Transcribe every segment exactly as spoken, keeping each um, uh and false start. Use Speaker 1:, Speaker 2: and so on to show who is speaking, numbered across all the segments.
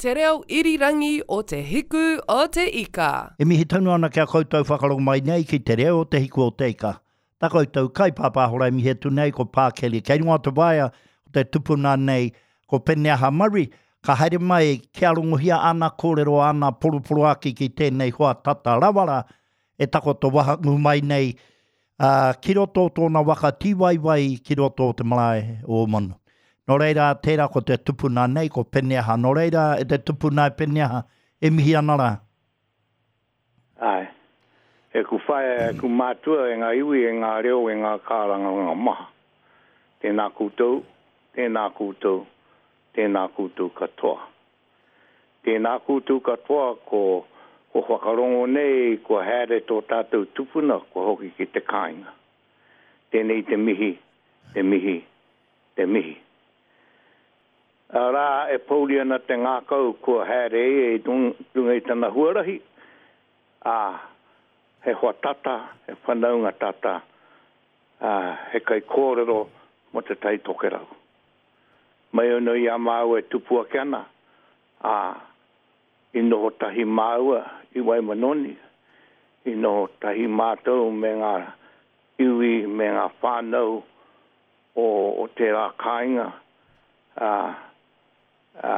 Speaker 1: Te reo irirangi o Te Hiku o Te Ika.
Speaker 2: E mihi tonu ana kia koutou whakarongo mai nei ki te reo o Te Hiku o Te Ika. Tā koutou kaipāpāhora e mihi atu nei ko Pākeli. Kei runga o te waea o te tupuna nei ko Peneaha Murray. Ka haere mai kia rongohia ana kōrero ana poroporoaki ki tēnei hoa tata rawara e takoto wahangū mai nei uh, ki roto o tōna waka tīwaiwai ki roto o te marae o Omanu. Nō reira, tērā ko te tupuna nei, ko Peneaha. Nō reira, e te tupuna e Peneaha, e mihi ana rā.
Speaker 3: Ai. E ku whaea, e ku mātua, e ngā iwi, e ngā reo, e ngā kārangaranga maha. Tēnā koutou, tēnā koutou, tēnā koutou katoa. Tēnā koutou katoa ko, ko whakarongo nei, ko haere tō tātou tupuna, ko hoki ki te kāinga. Tēnei te mihi, te mihi, te mihi. Arā e pōuri ana te ngākau kua haere e i runga i tana huarahi, ā, he hoa tata, he whanaunga tata, ā, he kaikōrero mō te Tai Tokerau. Mai anō i a māua e tupu ake ana, ā, i noho tahi māua i Waimanoni, i noho tahi mātou me ngā iwi, me ngā whānau o, o tērā kāinga, ā, ā,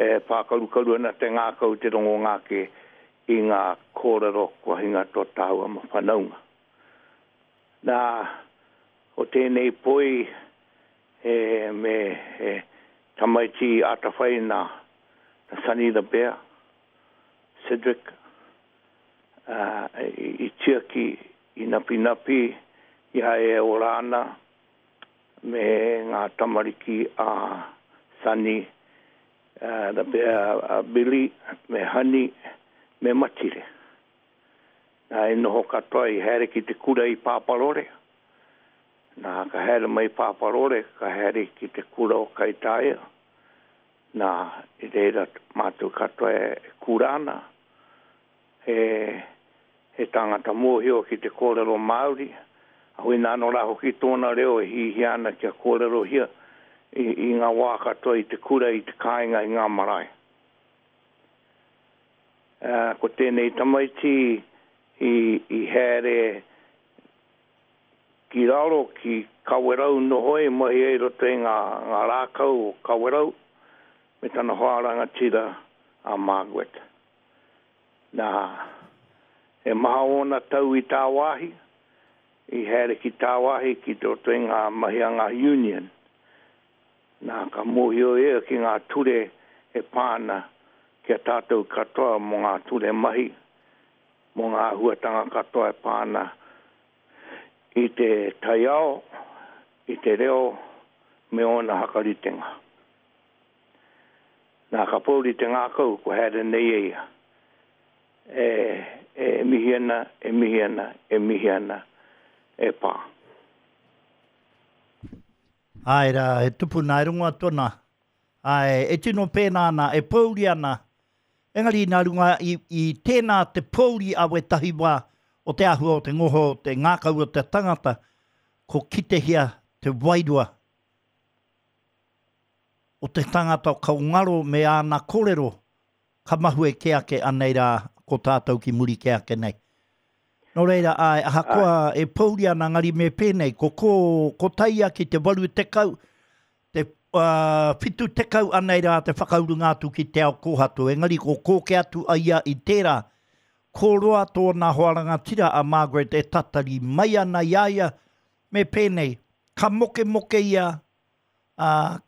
Speaker 3: e pākarukaru ana te ngākau te rongo ngāke i ngā kōrero kua hinga tō tāua ma whanaunga. Nā, o tēnei poi e, me e, tamaiti atawhai nā, nā Sonny the Bear, Cedric, uh, i, i tiaki, i napi napi, i hae e ora ana, me ngā tamariki a Sonny, uh, the Bear, uh, Billy, me Honey, me Matire. Nā, e noho katoa i haere ki te kura i Pāparore. Nā, ka haere mai Pāparore, ka haere ki te kura o Kaitaia. Nā, i reira mātou katoa e kura ana. He, he tangata mōhio ki te kōrero Māori. A hui nā nō rā hoki tōna reo e hihia ana kia kōrerohia i, i ngā wā katoa i te kura, i te kāinga, i ngā marae. Uh, ko tēnei tamaiti i, i haere ki raro, ki Kawerau noho e mahi ai roto i ngā, ngā rākau o Kawerau, me tana hoa rangatira a Margaret. Nā, e maha ōna tau i tāwāhi, i haere ki tāwāhi ki roto i ngā mahi a ngā union. Nā, ka mōhio ia ki ngā ture e pāna kia tātou katoa mō ngā ture mahi, mō ngā āhuatanga katoa e pāna i te taiao, i te reo, me ōna hakaritenga. Nā, ka pōuri te ngākau, ko haere nei e ia. E, e mihi ana, e mihi ana, e mihi ana, e pā.
Speaker 2: Ai rā, e tupuna e runga tona. Ai, e tino pēnā ana, e pōuri ana. Engari nā runga i, i tēnā te pōuri a wetahi wā o te āhua o te ngoho, o te ngākau o te tangata, ko kitehia te wairua o te tangata ka ngaro me āna kōrero, ka mahue ke ake anei rā ko tātou ki muri ke ake nei. Nō reira, ai, ahakoa e pōuri ana ngari me pēnei, ko, ko, ko taia ki te waru tekau, te uh, whitu tekau anei rā te whakaurunga atu ki te ao kōhatu, engari ko kōke atu aia i tērā, ko roa tōna hoa rangatira a Margaret e tatari mai ana i a ia, me pēnei, ka moke moke ia, uh,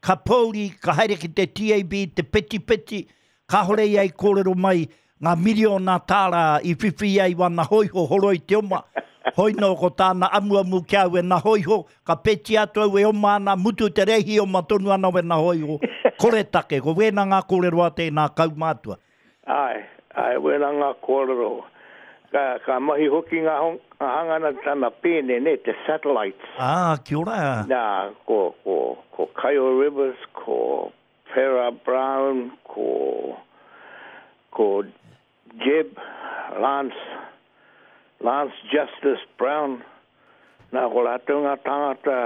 Speaker 2: ka pōuri, ka haere ki te T A B, te peti peti, kāhore ia i kōrero mai ngā miriona tāra i whiwhi ai wana hoiho horoi te oma. Hoi nō ko tāna amuamu kia au e nā hoiho, ka peti atu au e oma ana, mutu te rehi oma tonu ana we nā hoiho. Kore take, ko wēnā ngā kōrero a tēnā kaumātua.
Speaker 3: Ai, ai, wēnā ngā kōrero. Ka, ka mahi hoki ngā hong, ngā hangana tana pēne, ne, te satellites.
Speaker 2: Ah, kia ora.
Speaker 3: Nā, ko, ko, ko Kaio Rivers, ko Farrah Brown, ko, ko Jeb, Lance, Lance Justice Brown. Nā, ko rātou ngā tāngata,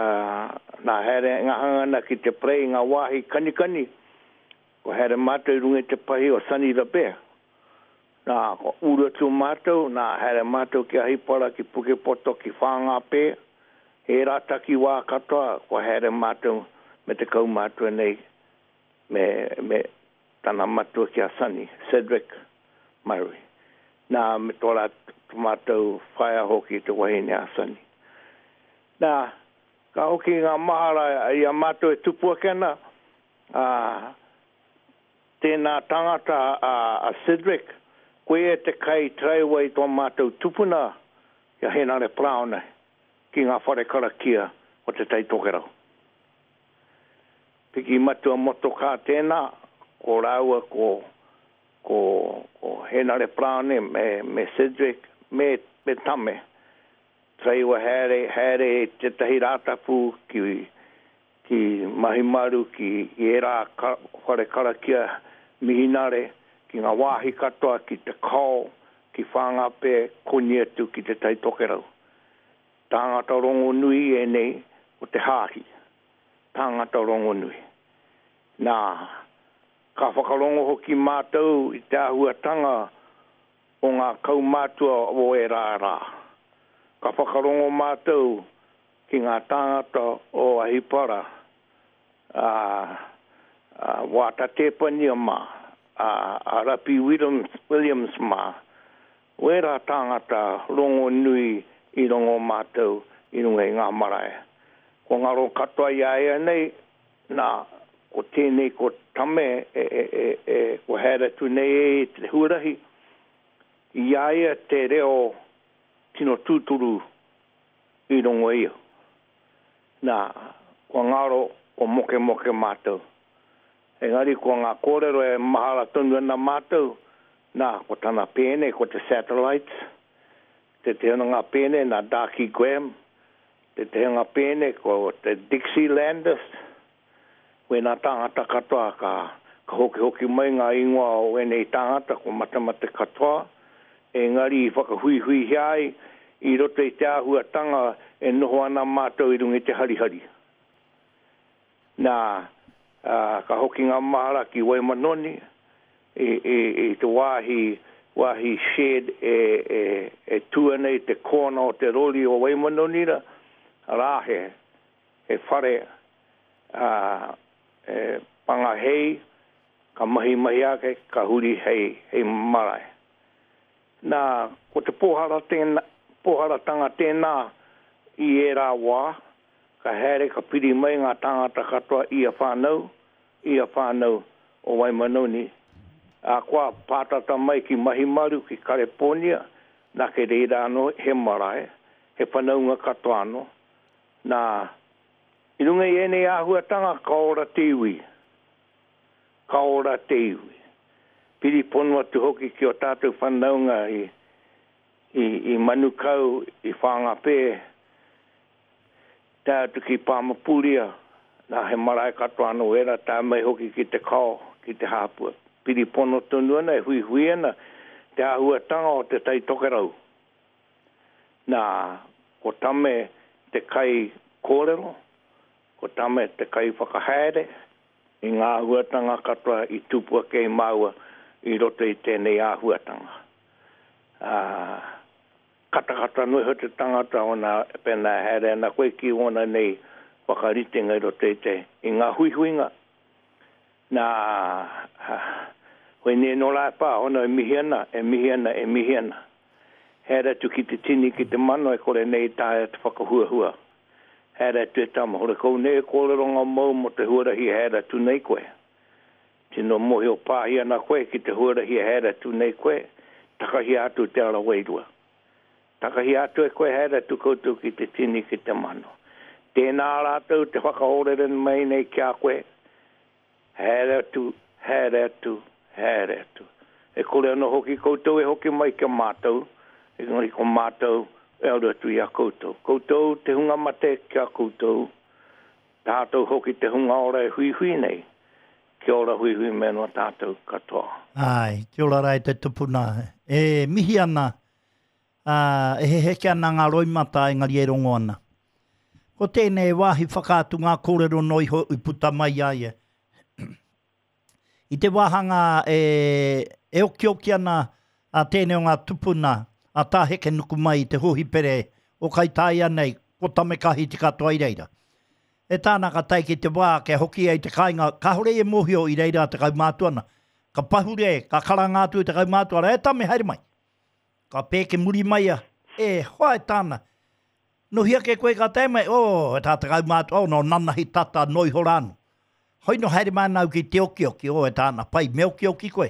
Speaker 3: nā haere ngā hangana ki te prei ngā wāhi kanikani, Ko haere mātou i runga i te pahi o Sunny the Bear. Nā, ko uru atu mātou, nā, haere mātou ki Ahipara, ki Pukepoto, ki Whāngāpē. Ērā takiwā katoa, ko haere mātou me te kaumātua nei, me, me tana matua ki a Sunny, Cedric Murray. Nā, me tō rā mātou whaea hoki te wahine a Sunny. Nā, ka hoki ngā mahara i a mātou e tupu ake ana, ā, tēnā tangata a, a Cedric, koia te kai taraiwa i tō mātou tupuna i a Henare Paraone ki ngā whare karakia o Te Tai Tokerau. Piki matua motokā tēnā, ko rāua ko, ko, ko Henare Paraone me, me Cedric me, me Tame. Taraiwa haere, haere tētahi rātapu ki, ki Mahimaru, ki ērā ka, whare karakia mihinare, ki ngā wāhi katoa, ki Te Kao, ki Whāngāpē, koni atu ki Te Tai Tokerau. Tāngata rongonui ēnei o te hāhi. Tāngata rongonui. Nā, ka whakarongo hoki mātou i te āhuatanga o ngā kaumātua o ērā rā. Ka whakarongo mātou ki ngā tāngata o Ahipara, a, a Wāta Tēpania mā, a, a Rapi Williams, Williams mā, wērā tāngata rongonui i rongo mātou i runga i ngā marae. Ko ngaro katoa i a ia nei, nā, ko tēnei ko Tame e, e, e, e, ko haere atu nei e i te huarahi, i a ia te reo tino tūturu i rongo ia. Nā, kua ngaro, ko mokemoke mātou. Engari ko ngā kōrero e mahara tonu ana mātou, nā, ko tana pēne, ko te Satellites, te te ngā pēne, nā Darky Graham, te te ngā pēne, ko te Dixielanders, wēnā tāngata katoa ka, ka hoki hoki mai ngā ingoa o ēnei tāngata, ko matamate katoa, engari i whakahuihuihia ai i roto i te āhuatanga e noho ana mātou i runga i te harihari. Nā, ā, ka hoki ngā mahara ki Waimanoni, i, i, i te wāhi, wāhi shed e, e, e tū ana i te kōna o te rori o Waimanoni rā, arā he, he whare, ā, e pangahei, ka mahi mahi ake, ka huri hei, hei marae. Nā, ko te pōhara tēnā, pōharatanga tēnā i ērā wā, ka haere ka piri mai ngā tāngata katoa i a whānau, i a whānau o Waimanoni. A kua pātata mai ki Mahimaru, ki Kareponia, nā ke reira anō he marae, he whanaunga katoa anō. Nā, i runga i ēnei āhuatanga ka ora te iwi. Ka ora te iwi. Piri pono atu hoki ki o tātou whanaunga i, i, i Manukau, i Whāngāpē, tae atu ki Pāmapuria, nā he marae katoa anō era, tae mai hoki ki te Kao, ki te Hāpua. Piri pono tonu ana, e huihui ana, te āhuatanga o te Tai Tokerau. Nā, ko Tame te kai kōrero, ko Tame te kai whakahaere, i ngā āhuatanga katoa i tupu ake i māua i roto i tēnei āhuatanga. Ā, katakata noa iho te tangata ona, pēnā haere ana koe ki ōna nei whakaritenga i roto i te, i ngā huihuinga. Nā, hoi nei nō rā e pā, ona e mihi ana, e mihi ana, e mihi ana. Haere atu ki te tini, ki te mano, e kore nei taea te whakahuahua. Haere atu e tama, hore kau nei e kōrero ngā mau mō te huarahi haere atu nei koe. Tino mōhio pāhi ana koe ki te huarahi haere atu nei koe, takahia atu te ara wairua. Takahia atu e koe haere atu koutou ki te tini, ki te mano. Tēnā rātou te whakahorere mai nei ki a koe, haere atu, haere atu, haere atu. E kore anō hoki koutou e hoki mai ki a mātou, engari ko mātou e aru atu i a koutou. Koutou te hunga mate ki a koutou, tātou hoki te hunga ora e huihui nei, kia ora huihui me noa tātou katoa.
Speaker 2: Ai, kia ora rā e te tupuna. E mihi ana, ā, e heheke ana ngā roimata engari e rongo ana. Ko tēnei wāhi whakaatu ngā kōrero noa iho i puta mai i a ia. I te wāhanga e, e okioki ana a tēnei o ngā tupuna a Tā Hekenukumai i te hōhipere o Kaitaia nei, ko Tame Kahiti katoa i reira. E tāna ka tae ki te wā kia hoki ai te kāinga, kāore e mōhio i reira te kaumātua ana. Ka pahure, ka karanga atu i te kaumātua, e Tame, haere mai. Ka pēke muri mai a, e hoa e tāna. Nohi ake koe ka tae mai, oh, e tā te kaumātua, oh, no nanahi tata, no iho rānu. Hoi no haere mai ana au ki te okioki, oh, e tāna, pai, me okioki koe.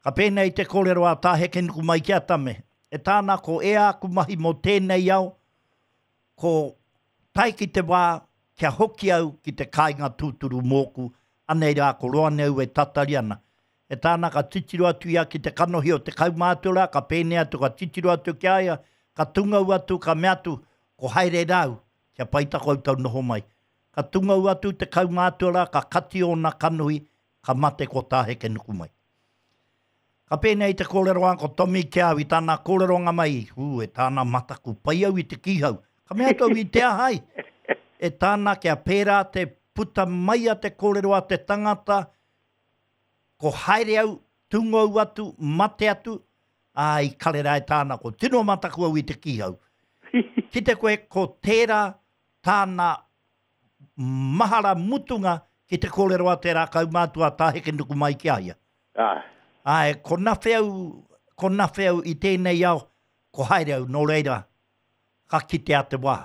Speaker 2: Ka pēnei te kōrero a Tā Hekenukumai ki a Tame. E tāna ko e āku mahi mō tēnei ao, ko tae ki te wā, kia hoki au ki te kāinga tūturu mōku, anei rā ko roa nei au e tatari ana. E tāna ka titiro atu ia ki te kanohi o te kaumātua rā, ka pēnei atu, ka titiro atu ki a ia, ka tungau atu, ka mea atu, ko haere rāu, kia pai ta koutou noho mai. Ka tungau atu te kaumātua rā, ka kati ōna kanohi, ka mate ko Tā Hekenukumai. Ka pēnei te kōrero a ko Tommy ki au i tāna kōreronga mai, ū, e tāna mataku, pai au i te kīhau. Ka mea atu au i te ahai. E tāna kia pērā te puta mai a te kōrero a te tangata, ko haere au, tungou atu, mate atu, ā, i karera e tāna, ko tino mataku au i te kīhau. Ki te koe, ko tērā tāna mahara mutunga ki te kōrero a tērā kaumātua Tā Hekenukumai ki a ia.
Speaker 3: Āe.
Speaker 2: Āe, ko nawhe au, ko nawhe au i tēnei ao, ko haere au, nō reira, ka kitea te wā.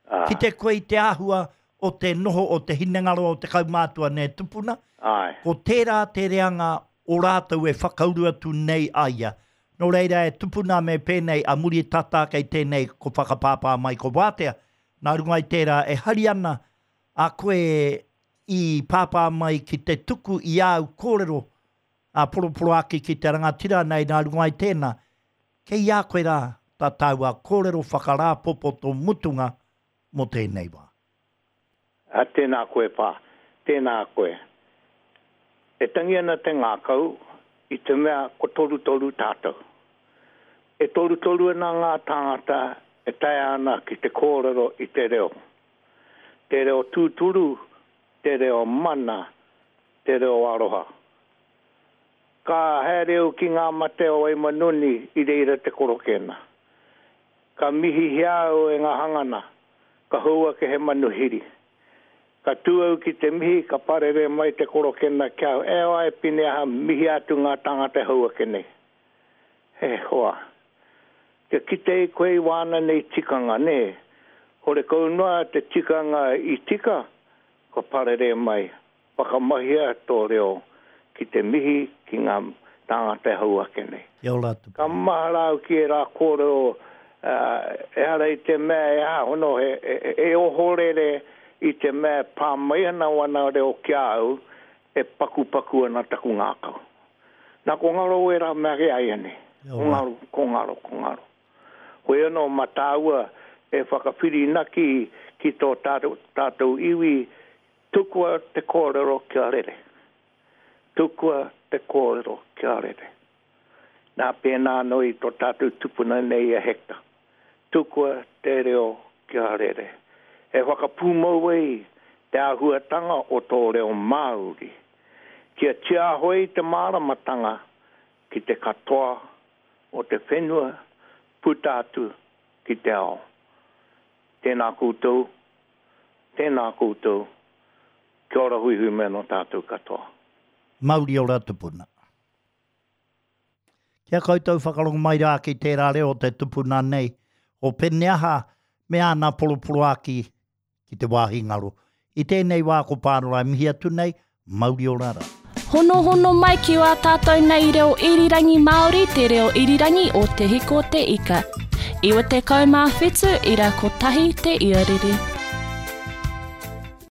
Speaker 3: Āe.
Speaker 2: Ki te koe i te āhua o te noho o te hinengaro o te kaumātua nei tupuna,
Speaker 3: Āe.
Speaker 2: ko tērā te reanga o rātou e whakauru atu nei a ia. Nō reira e tupuna me pēnei a muri tata kei tēnei ko whakapāpā mai ko wātea. Nā runga i tērā e hari ana a koe i pāpā mai ki te tuku i āu kōrero a poroporoaki ki te rangatira nei nā runga i tēnā. Kei a koe rā tā tāua kōrero whakarāpopoto mutunga mō tēnei wā.
Speaker 3: A tēnā koe pā, tēnā koe. E tangi ana te ngākau i te mea ko torutoru tātou. E torutoru ana ngā tāngata e taea ana ki te kōrero i te reo. Te reo tūturu, te reo mana, te reo aroha. Ka haere au ki ngā mate o Waimanuni i reira te korokena. Ka mihihia au e ngā hangana, ka hou ake he manuhiri. Ka tū au ki te mihi, ka parere mai te korokena kia au, e oa e pine aha mihi atu ngā tāngata hou ake nei. He hoa. Kia kite i koe i wāna nei tikanga, nē. Hore kau noa te tikanga i tika, ka parere mai. Whakamahia tō reo ki te mihi ki ngā tāngata hou ake nei.
Speaker 2: Kia ora atu.
Speaker 3: Ka mahara au ki e rā kōrero, uh, ehara i te mea e aha, hono, e, e, e ohorere i te mea pā mai ana wana reo ki a au, e pakupaku ana taku ngākau. Nā ko ngaro e rā mea ke ai ane.
Speaker 2: Kia
Speaker 3: Ko
Speaker 2: ora.
Speaker 3: ngaro, ko ngaro, ko ngaro. Hoi anō mā tāua e whakawhirinaki ki tō tātou, tātou iwi, tukua te kōrero kia rere. Tukua te kōrero kia rere. Nā pēnā anō i tō tātou tupuna nei a Hector. Tukua te reo kia rere. E whakapūmau ai te āhuatanga o tō reo Māori. Kia tiaho ai te māramatanga ki te katoa o te whenua puta atu ki te ao. Tēnā koutou, tēnā koutou, kia ora huihui me anō tātou katoa.
Speaker 2: Mauri ora tupuna. Kia koutou whakarongo mai rā ki tērā reo te tupuna nei, o Peneaha me āna poroporoaki ki te wāhi ngaro. I tēnei wā ko Pānora e mihi atu nei, mauri ora rā.
Speaker 4: Honohono mai ki wā tātou nei reo irirangi Māori, te reo irirangi o Te Hiko Te Ika. Iwa te kaumā whitu, ira kotahi te iarere.